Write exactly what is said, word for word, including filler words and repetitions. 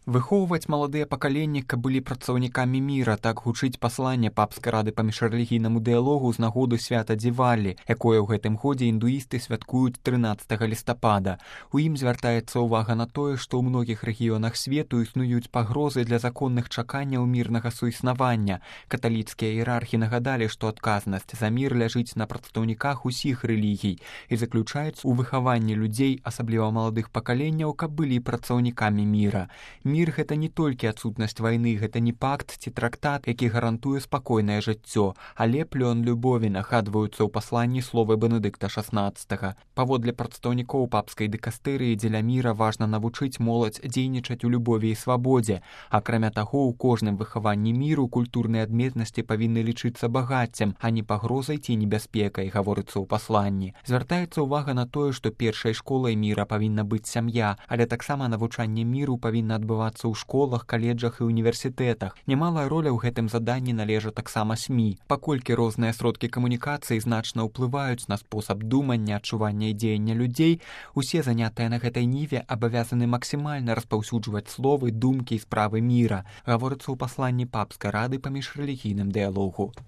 Выхоўваць маладыя пакаленні, каб былі працаўнікамі міра, так гучыць пасланне папскай рады па міжрэлігійнаму дыялогу з нагоды свята Дзівалі, якое ў гэтым годзе індуісты святкуюць трынаццатага лістапада. У ім звяртаецца ўвага на тое, што ў многіх рэгіёнах свету існуюць пагрозы для законных чаканняў мірнага суіснавання. Каталіцкія іерархі нагадалі, што адказнасць за мір ляжыць на прадстаўніках усіх рэлігій і заключаецца ў выхаванні людзей, асабліва маладых пакаленняў, каб былі працаўнікамі міра. Мір — гэта не толькі адсутнасць вайны, гэта не пакт ці трактат, які гарантуе спакойнае жыццё, але плён любові, нагадваюцца ў пасланні словы Бенедыкта шаснаццатага. Паводле прадстаўнікоў папскай дыкастэрыі, дзеля міра важна навучыць моладзь дзейнічаць у любові і свабодзе. Акрамя таго, у кожным выхаванні міру культурныя адметнасці павінны лічыцца багаццем, а не пагрозай ці небяспекай, гаворыцца ў пасланні. Звяртаецца ўвага на тое, што першай школай міра павінна быць сям'я, але таксама навучанне міру павінна адбывацца ў школах, каледжах і універсітэтах. Немалая роля ў гэтым заданні належа таксама СМІ, паколькі розныя сродкі камунікацыі значна ўплываюць на спосаб думання, адчування і дзеяння людзей, усе занятыя на гэтай ніве абавязаны максімальна распаўсюджваць словы, думкі і справы міра, гаворыцца ў пасланні папскай рады па міжрэлігійным дыялогу.